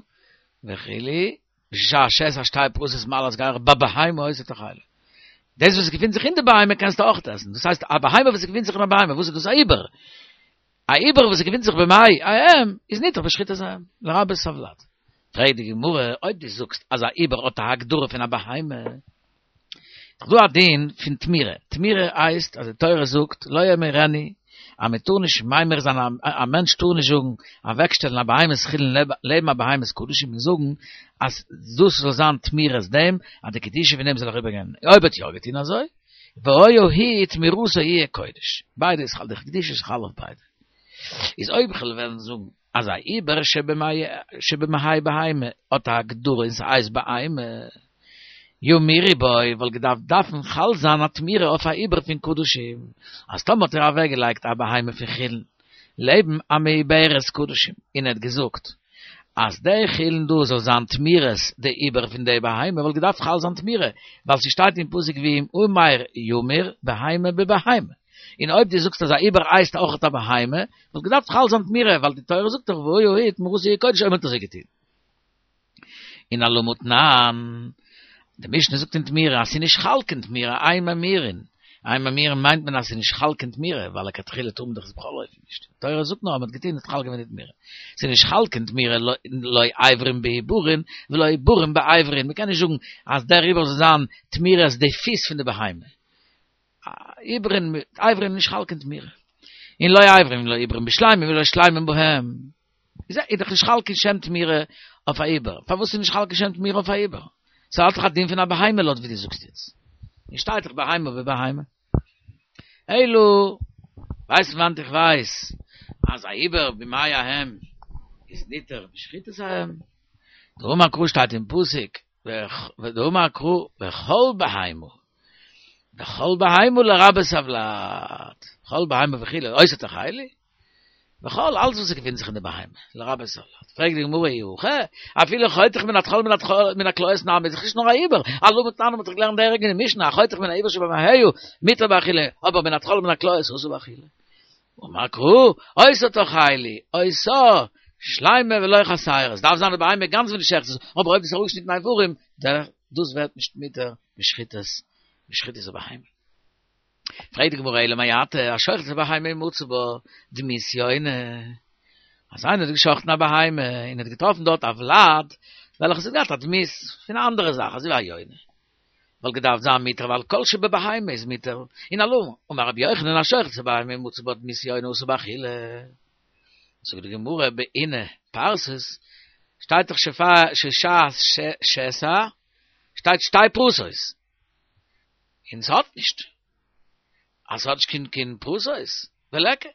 Speaker 1: וכו', בשעה שאת שתי פרוסות מעלת גרה בבהמה אותה תאכלו. דאס וואס געפינט זיך אין די בהמה קענסטו אויך עסן. דאס הייסט א בהמה וואס געפינט זיך אין א בהמה, וואס איז דאס א עובר? א עובר וואס געפינט זיך במעי האם איז נדחה בשחיטת האם, לרבות הולד. פרעגט די גמרא, אויב דו זאגסט אז א עובר האט א הגדרה פון א בהמה, איז דא א דין פון תמורה, תמורה הייסט אז די תורה זאגט לא ימירנו אז מען טאר נישט ממיר זיין א מענטש טאר נישט זאגן אוועקשטעלן א בהמת חולין לעבן א בהמת קדשים און זאגן אז דאס זאל זיין תמורת דעם אז די קדושה פון דעם זאל אריבערגיין, אויב האט יא געטון אזוי. והיה היא תמורתו יהיה קודש. ביידע איז חל, די קדושה איז חל אויף ביידע. איז אויב כ'וועל וועלן זאגן אז א עובר שבמעי בהמה האט א הגדרה און ס'הייסט בהמה, ימירו בו וואלט געדארפט דארפן חל זיין א תמורה אויף א עובר פון קדשים, אז טאמער האט ער אוועקגעלייגט א בהמה פון חולין לעבן א מעוברת קדשים און ער האט געזאגט אז די חולין דא זאל זיין תמורת די עובר פון די בהמה וואלט געדארפט חל זיין תמורה ווייל ס'שטייט אין פסוק ואם המר ימיר בהמה בבהמה און אויב דו זאגסט אז א עובר הייסט אויכעט א בהמה וואלט געדארפט חל זיין תמורה ווייל די תורה זאגט דאך והיה היא תמורתו יהיה קודש אויב מ'האט אזוי געטון. און אלמה תנן, די משנה זאגט אין תמורה אז ס'איז נישט חל קיין תמורה, אין ממירין, אין ממירין מיינט מען אז ס'איז נישט חל קיין תמורה, ווייל לכתחילה טאר מען דאך עס בכל אופן נישט, די תורה זאגט נאר אז מ'האט געטון איז חל געווען די תמורה, ס'איז נישט חל קיין תמורה לא אברים בעוברים ולא עוברים באברים, מ'קען נישט זאגן אז דער עובר זאל זיין תמורת די פיס פון די בהמה. עוברים אברים נישט חל קיין תמורה. און לא אברים לא עוברים בשלמים ולא שלמים בהם. איז איז דאך נישט חל קיין שם תמורה אויף א עובר. פארוואס איז נישט חל קיין שם תמורה אויף א עובר? ס'האט דאך א דין פון א בהמה לויט ווי דו זאגסט יעצט. און שטייט דאך בהמה בבהמה. אלא, ווייסט פון וואנעט איך ווייס אז א עובר במעי האם איז ניתר בשחיטת האם? דאמר קרא שטייט אין פסוק ודאמר קרא וכל בהמה וכל בהמה לרבות הולד, כל בהמה וכו', אותה תאכלו, וכל אלץ וואס געפינט זיך אין די בהמה, לרבות הולד. פרעגט די גמרא אי הכי, אפילו חותך מן הטחול מן הכליות נמי, איז דאך נישט נאר א עובר, אלמה תנן מ'האט דאך געלערנט די ערג אין די משנה, החותך מן העובר שבמעיה, מותר באכילה, אבער מן הטחול ומן הכליות אסור באכילה. אמר קרא, אותה תאכלו, אותה, שלימה ולא חסרה, עס דארף זיין די בהמה גאנץ ווען דו שעכטסט עס, אבער אויב עס איז אראפגעשניטן איברים, דאס ווערט נישט מותר בשחיטת בשחיטת הבהמה. פרעגט די גמרא אלא מעתה, השוחט את הבהמה ומצא בה דמות יונה, אז איינער האט געשחטן א בהמה און האט געטראפן דארט א ולד וועלכעס האט געהאט א דמות פון א אנדערע זאך אזוי ווי א יונה, וואלט געדארפט זיין מותר ווייל כל שבבהמה איז מותר, און אלמה אמר רבי יוחנן השוחט את הבהמה ומצא בה דמות יונה אסור באכילה. זאגט די גמרא בעינא פרסות, שטייט דאך ששעת שסע שטייט שתי פרסות, און ס'האט נישט, אז ס'האט נישט קיין קיין פרסות, וליכא,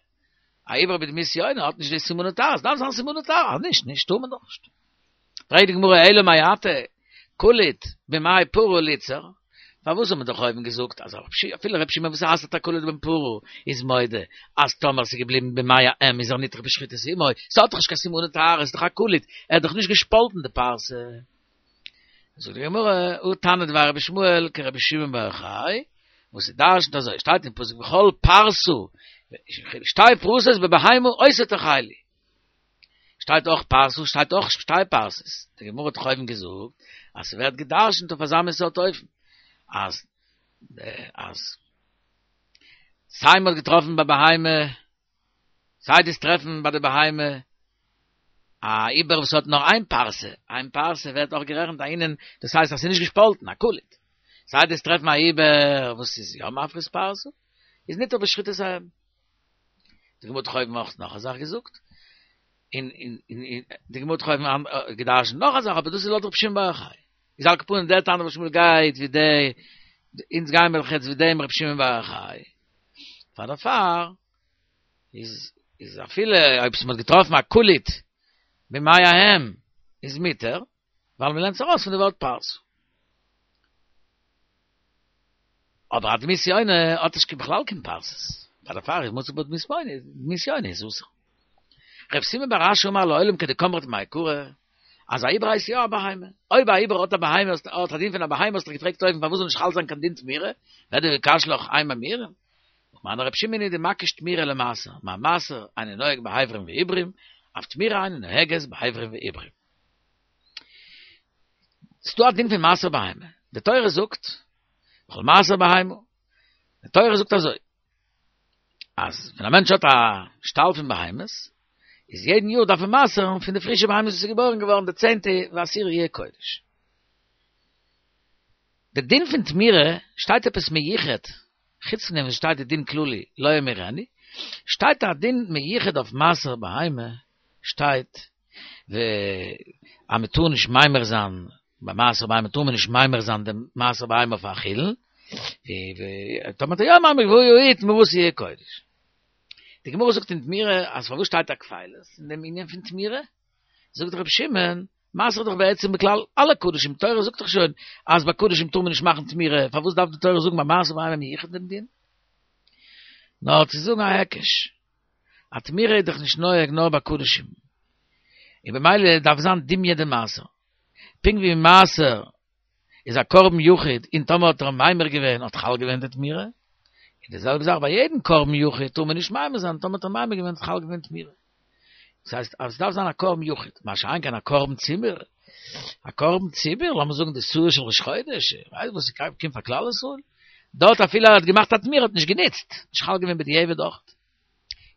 Speaker 1: א עובר בדמות יונה האט נישט די סימני טהרה, ס'דארף זיין סימני טהרה, אז נישט, נישט טאר מען דאך נישט. פרעגט די גמרא אלא מעתה כלית במעי פרה ליתסר, פארוואס האט מען דאך אויבן געזאגט אז אפילו רבי שמעון וואס אסר'ט א כלית בן פרה איז מודה אז טאמער ס'איז געבליבן במעי האם איז ער ניתר בשחיטת אמו, ס'האט דאך נישט קיין סימני טהרה, ס'איז דאך א כלית, ער האט דאך נישט געשפאלטן די פרסה. זאגט די גמרא, הא תנא דבי רבי ישמעאל כרבי שמעון בר יוחאי, וואס איז דרש'נט אזוי, שטייט אין פסוק וכל פרסה, שתי פרסות בבהמה אותה תאכלו. שטייט אויך פרסה, שטייט אויך שתי פרסות. די גמרא האט דאך אויבן געזאגט אז ס'ווערט גע'דרש'נט אויף אזא מין סארט אופן, אז אז סיי מ'האט געטראפן ביי בהמה, סיי דו'סט טרעפן ביי די בהמה א עובר וואס האט נאר איין פרסה, איין פרסה ווערט אויך גערעכנט א ענין, דאס הייסט אז ס'איז נישט געשפאלטן, א כלית. סיי דו'סט טרעפן א עובר וואס איז יא מפריס פרסה, איז ניתר בשחיטת האם. די גמרא האט דאך אויבן אויך נאך א זאך געזאגט, און און און די גמרא האט דאך אויבן געדרש'נט נאך א זאך, אבער דאס איז לויט רבי שמעון בר יוחאי. איז על כל פנים דער תנא דבי רבי ישמעאל גייט ווי די, אונז גייען מיר דאך יעצט ווי דעם רבי שמעון בר יוחאי. פאר דערפאר איז איז אפילו אויב ס'מ'האט געטראפן א כלית במעי האם איז מותר, ווייל מ'לערנט עס ארויס פון די ווארט פרסה. אבער א דמות יונה האט נישט בכלל קיין פרסות, פאר דערפאר איז מצא בה דמות יונה, דמות יונה איז אסור. רב סימון בר אשי אמר לעולם כדקאמרת מעיקרא, אז א עובר הייסט יא א בהמה, אויב א עובר האט א בהמה האט א דין פון א בהמה האסטו געפרעגט אויבן פארוואס זאל נישט חל זיין קיין דין תמורה, ואי קשיא לך אין ממירין, ומני רב שמעון היא דמקיש תמורה למעשר, מה מעשר אינו נוהג באברים ועוברים, אף תמורה אינה נוהגת באברים ועוברים. ס'דא א דין פון מעשר בהמה, די תורה זאגט, וכל מעשר בהמה, די תורה זאגט אזוי, אז ווען א מענטש האט א שטאל פון בהמות, איז יעדן יאר דארף ער מעשר'ן פון די פרישע בהמות וואס איז געבוירן געווארן די צענטע ועשירי יהיה קודש. די דין פון תמורה שטייט עפעס מיוחד, חוץ פון דעם וואס שטייט די דין כללי לא ימירנו, שטייט א דין מיוחד אויף מעשר בהמה, שטייט ו אז מען טאר נישט ממיר זיין ביי מעשר בהמה טאר מען נישט ממיר זיין דעם מעשר בהמה אויף א חולין. טאמער האט ער יא ממיר געווען והוא יעיד תמורתו יהיה קודש. די גמרא זאגט אין תמורה אז פארוואס שטייט א כפילות אין דעם ענין פון תמורה? זאגט רבי שמעון, מעשר איז דאך בעצם בכלל אלע קדשים, תורה זאגט דאך שוין אז ביי קדשים טאר מען נישט מאכן תמורה, פארוואס דארף די תורה זאגן ביי מעשר בהמה מיוחד דעם דין? נאר צו זאגן א היקש, א תמורה איז דאך נישט נוהג נאר ביי קדשים, און במילא דארף זיין דומיא דמעשר, פונקט ווי מעשר איז א קרבן יחיד און טאמער האט ער ממיר געווען האט חל געווען די תמורה, און די זעלבע זאך ביי יעדן קרבן יחיד טאר מען נישט ממיר זיין טאמער האט ער ממיר געווען האט חל געווען תמורה. דאס הייסט אז עס דארף זיין א קרבן יחיד, מה שאין כן א קרבן ציבור, א קרבן ציבור, לאמיר זאגן די שעיר של ראש חודש, איך ווייס וואס קומט פאר כלל ישראל, דארט אפילו ער האט געמאכט א תמורה האט נישט גענוצט, נישט חל געווען בדיעבד אויך.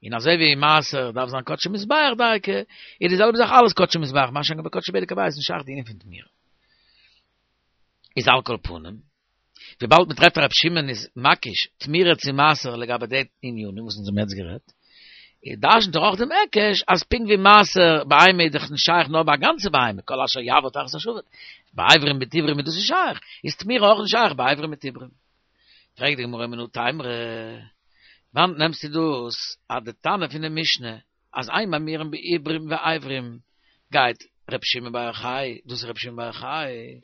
Speaker 1: און אזוי ווי מעשר דארף זיין קדשי מזבח דייקא, איז די זעלבע זאך אלעס קדשי מזבח, מה שאין כן ביי קדשי בדק הבית איז נישט שייך די ענין פון תמורה. איז על כל פנים, וויבאלד מען טרעפט אז רבי שמעון איז מקיש תמורה צו מעשר לגבי די ענינים וואס אונז האבן יעצט גערעדט, איז דרש'נט ער אויך דעם היקש אז פונקט ווי מעשר בהמה איז דאך נישט שייך נאר ביי א גאנצע בהמה, כל אשר יעבור תחת השבט, ביי אברים מיט איברים איז דאס נישט שייך, איז תמורה אויך נישט שייך ביי אברים מיט איברים. פרעגט די גמרא מנא תימרא, וואנעט נעמסטו דאס אז די תנא פון די משנה אז אין ממירים בעיברים ואיברים גייט ר' שמעון בר יוחאי, דאס איז ר' שמעון בר יוחאי,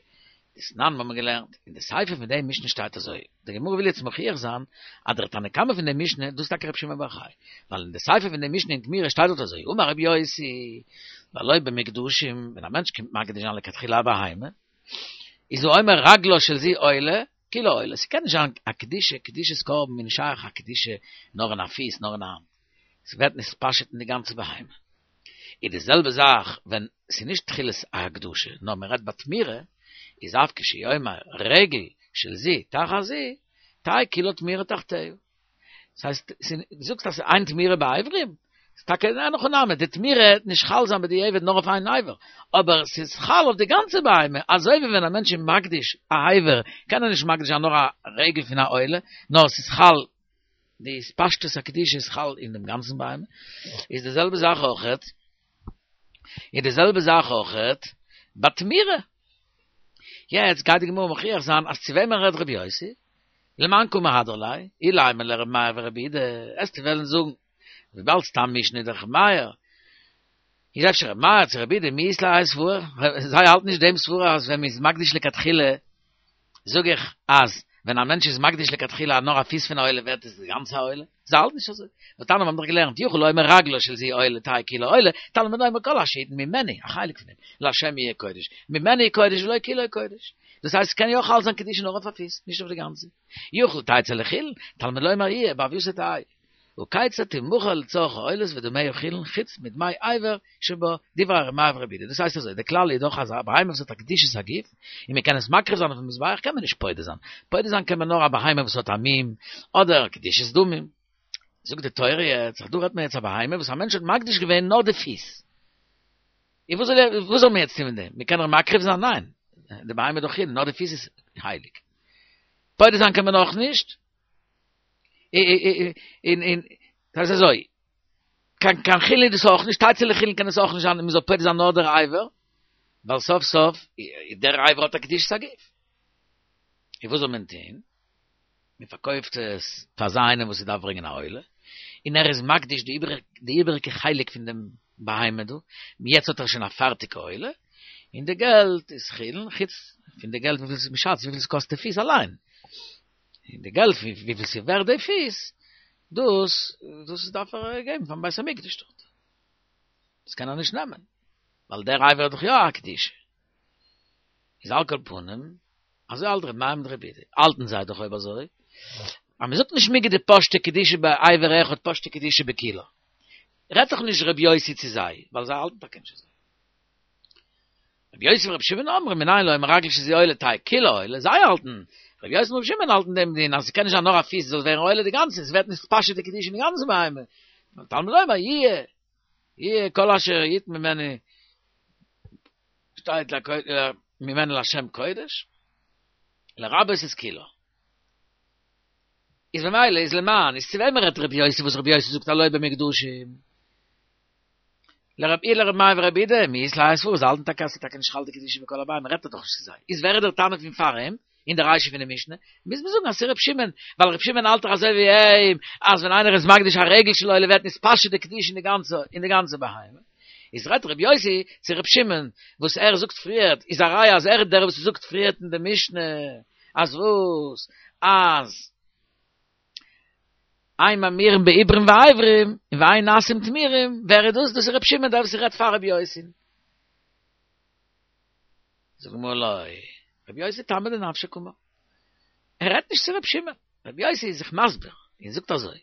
Speaker 1: דתנן האבן מיר געלערנט, אין די סיפא פון די משנה שטייט אזוי, די גמרא וויל יעצט מוכיח זיין אז דער תנא קמא פון די משנה דאס איז טאקע ר' שמעון בר יוחאי, ווייל אין די סיפא פון די משנה אין תמורה שטייט דארט אזוי, אמר רבי יוסי, והלא במוקדשים, ווען א מענטש קומט מקדיש זיין לכתחילה א בהמה, איז הוא אומר רגלה של זו עולה, כולה עולה, ס'קען נישט זיין א קדושה, קדושת קרבן איז נישט שייך א קדושה נאר אין א פיס נאר אין א האנט, ס'ווערט נתפשט אין די גאנצע בהמה. איז די זעלבע זאך ווען ס'איז נישט תחילת הקדושה נאר מ'רעדט ביי תמורה, איז אף כשהוא אומר רגל של זו תחת זו, תהא כולה תמורה תחתיה. דאס הייסט, דו זאגסט אז ס'איז אין תמורה באיברים? ס'איז טאקע אין הכי נמי, די תמורה וועט נישט חל זיין בדיעבד נאר אויף איין אבר, אבער ס'איז חל אויף די גאנצע בהמה, אזוי ווי ווען א מענטש איז מקדיש א אבר, קען ער נישט מקדיש זיין נאר א רגל פון א עולה, נאר ס'איז חל, די התפשטות הקדושה איז חל אין דעם גאנצן בהמה, איז די זעלבע זאך אויכעט, איז די זעלבע זאך אויכעט ביי תמורה. יעצט גייט די גמרא מוכיח זיין אז צו וועמען רעדט רבי יוסי? למאן קא מהדר ליה, אילימא לר' מאיר ור' יהודה, עסטו וועלן זאגן, וויבאלד סתם משנה איז דאך ר' מאיר, איז אפשר ר' מאיר צו ר' יהודה מי אית להו האי סברא, זיי האלטן נישט דעם סברא אז ווען מ'איז מקדיש לכתחילה, זאג איך אז ווען א מענטש איז מקדיש לכתחילה נאר א פיס פון א עולה ווערט עס די גאנצע עולה, זיי האלטן נישט אזוי, והתניא מיר האבן דאך געלערנט יכול לומר רגלו של זו עולה תהא כולה עולה, תלמוד לומר כל אשר יתן ממנו, א חלק פון דעם, להשם יהיה קודש, ממנו קודש ולא כולו קודש. דאס הייסט ס'קען יא חל זיין קדושה נאר אויף א פיס, נישט אויף די גאנצע. יכול תצא לחולין, תלמוד לומר יהיה בהוייתו תהא. הא כיצד תמכר לצורך העולות ודמיה חולין חוץ מדמי אבר שבה, דברי ר' מאיר ור' יהודה. דאס הייסט אזוי, די כלל איז דאך אז א בהמה וואס האט א קדושת הגוף, און מען קען עס מקריב זיין אויפן מזבח קען מען נישט פודה זיין. פודה זיין קען מען נאר א בהמה וואס האט א מום, אדער קדושת דמים. זאגט די תורה יעצט, דא רעדט מען יעצט א בהמה וואס א מענטש האט מקדיש געווען נאר די פיס. און וואס זאל ער, וואס זאל מען יעצט טון מיט דעם? מען קען איר מקריב זיין? ניין, די בהמה איז דאך חולין, נאר די פיס איז הייליג. פודה זיין קען מען אויך נישט. און און דאס איז אזוי, קיין קיין חולין איז דאס אויך נישט, תצא לחולין קען עס אויך נישט זיין, מען זאל פודה זיין נאר דער אבר, ווייל סוף סוף דער אבר האט א קדושת הגוף. און וואס זאל מען טון? מען פארקויפט עס פאר אזא איינעם וואס ער דארף ברענגען א עולה, און ער איז מקדיש די די איבעריגע חלק פון דעם בהמה דא, יעצט האט ער שוין א פארטיגע עולה, און די געלט איז חולין, חוץ פון די געלט וויפיל מען שאצט וויפיל עס קאסט די פיס אליין, און די געלט וויפיל ס'איז ווערט די פיס, דאס דאס דארף ער געבן פארן בית המקדש דארט, דאס קען ער נישט נעמען, ווייל דער אבר האט דאך יא א קדושה. איז על כל פנים, אזוי האלט ר' מאיר מיט ר' יהודה, האלטן זיי דאך אויב אזוי, אז מען זאגט נישט מיגו דפשטה קדושה באבר אחד פשטה קדושה בכולה. רעדט דאך נישט ר' יוסי צו זיי, ווייל זיי האלטן טאקע נישט אזוי. ר' יוסי ור' שמעון אומרים מנין לאומר רגל של זו עולה תהא כולה עולה, זיי האלטן, ר' יוסי און ר' שמעון האלטן דעם דין אז ס'קען נישט זיין נאר א פיס זאל ווערן עולה די גאנצע, ס'ווערט נתפשט די קדושה אין די גאנצע בהמה. תלמוד לומר יהיה, יהיה כל אשר יתן ממנו שטייט ממנו להשם קודש, לרבות את כולה. איז ממילא איז למאן, איז צו וועמען רעדט רבי יוסי וואס רבי יוסי זאגט הלא במוקדשים? לרב אי לרבי מאיר ורבי יהודה, מי אית להו האי סברא, זיי האלטן טאקע אז ס'איז טאקע נישט חל די קדושה בכל הבהמה, רעדט ער דאך נישט צו זיי. איז ווער איז דער תנא פון פאר אים? אין די רישא פון די משנה, מוז מען זאגן אז ס'איז ר' שמעון, ווייל ר' שמעון האלט דאך אזוי ווי אים, אז ווען איינער איז מקדיש א רגל של עולה ווערט נתפשט די קדושה אין די גאנצע אין די גאנצע בהמה. איז רעדט ר' יוסי צו ר' שמעון, וואס ער זאגט פריערט, איז א ראיה אז ער איז דער וואס זאגט פריערט אין די משנה, אז וואס? אז אין ממירים בעוברים ואיברים, און ואין נעשים תמירים, ווער איז דאס? דאס איז ר' שמעון דער וואס רעדט פאר ר' יוסי'ן. זאגט די גמרא לא, רבי יוסי טעמא דנפשיה קאמר. ער רעדט נישט צו רבי שמעון, רבי יוסי איז זיך מסביר און זאגט אזוי,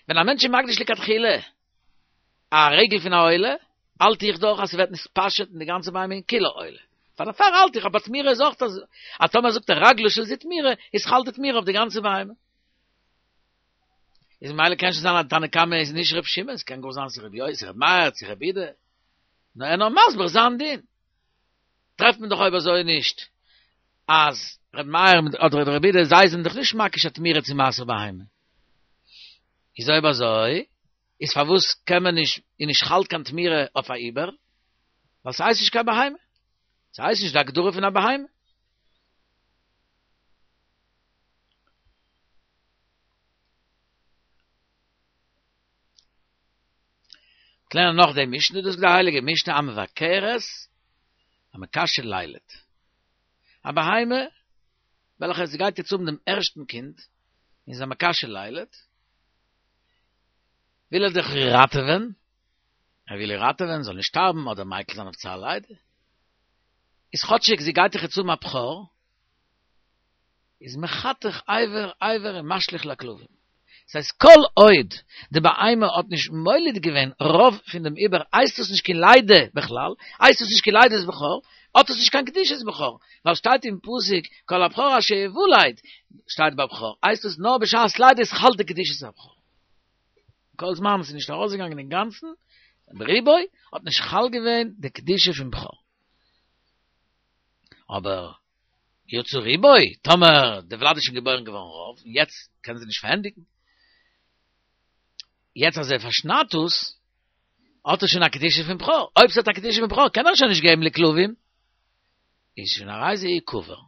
Speaker 1: ווען א מענטש איז מקדיש לכתחילה א רגל פון א עולה, האלט איך דאך אז ס'ווערט נתפשט אין די גאנצע בהמה אין כולה עולה. פאר דערפאר האלט איך אז ביי תמירה איז אויך אזוי, אז טאמער זאגט ער רגלו של זו תמירה, איז חל די תמירה אויף די גאנצע בהמה. איז ממילא קען שוין זיין אז תנא קמא איז נישט רבי שמעון, ס'קען גאר זיין ס'איז רבי יוסי, רבי מאיר, צו רבי יהודה. נאר ער נאר מסביר זיין דין. טרעפט מען דאך אויב אזוי נישט אז ר' מאיר אדער רבי יהודה זיי זענען דאך נישט מקיש א תמירה צו מעשר בהמה. איז אויב אזוי איז פארוואס קען מען נישט איז נישט חל קיין תמירה אויף א עובר? ווייל ס'הייסט נישט קיין בהמה. ס'הייסט נישט די הגדרה פון א בהמה. לערנען נאך די משנה, דאס איז די הייליגע משנה המבכרת המקשה לילד. א בהמה וועלכע זי גייט יעצט האבן דעם ערשטן קינד, און איז א מקשה לילד, וויל ער דאך איר ראטעווען, ער וויל איר ראטעווען זאל נישט שטארבן אדער מיקל זיין אויף צער לידה, איז כאטשיג זי גייט דאך יעצט האבן א בכור, איז מחתך אבר אבר און משליך לכלבים. ס'הייסט כל עוד די בהמה האט נישט מוליד געווען רוב פון דעם עובר הייסט עס נישט קיין לידה בכלל, הייסט עס נישט קיין לידת בכור, האט עס נישט קיין קדושת בכור, ווייל שטייט אין פסוק כל הבכור אשר יולד שטייט ביי בכור, הייסט עס נאר בשעת לידה איז חל די קדושת הבכור. כל זמן עס איז נישט ארויסגעגאנגען אינגאנצן ברובו האט נישט חל געווען די קדושה פון בכור. אבער יצא רובו, טאמער די ולד איז שוין געבוירן געווארן רוב, און יעצט קען זי נישט פארענדיגן, יעצט אז ער פארשניידט עס, האט עס שוין א קדושה פון בכור, אויב ס'האט א קדושה פון בכור קען ער שוין נישט געבן לכלבים, איז שוין הרי זה יקבר.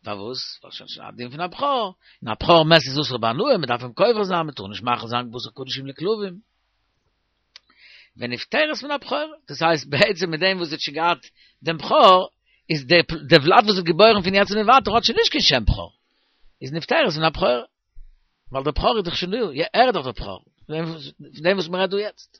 Speaker 1: פארוואס? ווייל שוין שוין א דין פון א בכור, און א בכור מת איז אסור בהנאה, מ'דארף אים קובר זיין, מ'טאר נישט מאכיל זיין בשר קדשים לכלבים. ונפטרת מן הבכור, דאס הייסט בעצם מיט דעם וואס זי האט שוין געהאט דעם בכור, איז די די ולד וואס איז געבוירן פון יעצט און ווייטער האט שוין נישט קיין שם בכור, איז נפטרת מן הבכור, ווייל דער בכור איז דאך שוין דא, ער איז דאך דער בכור, פון דעם וואס מען רעדט דא יעצט.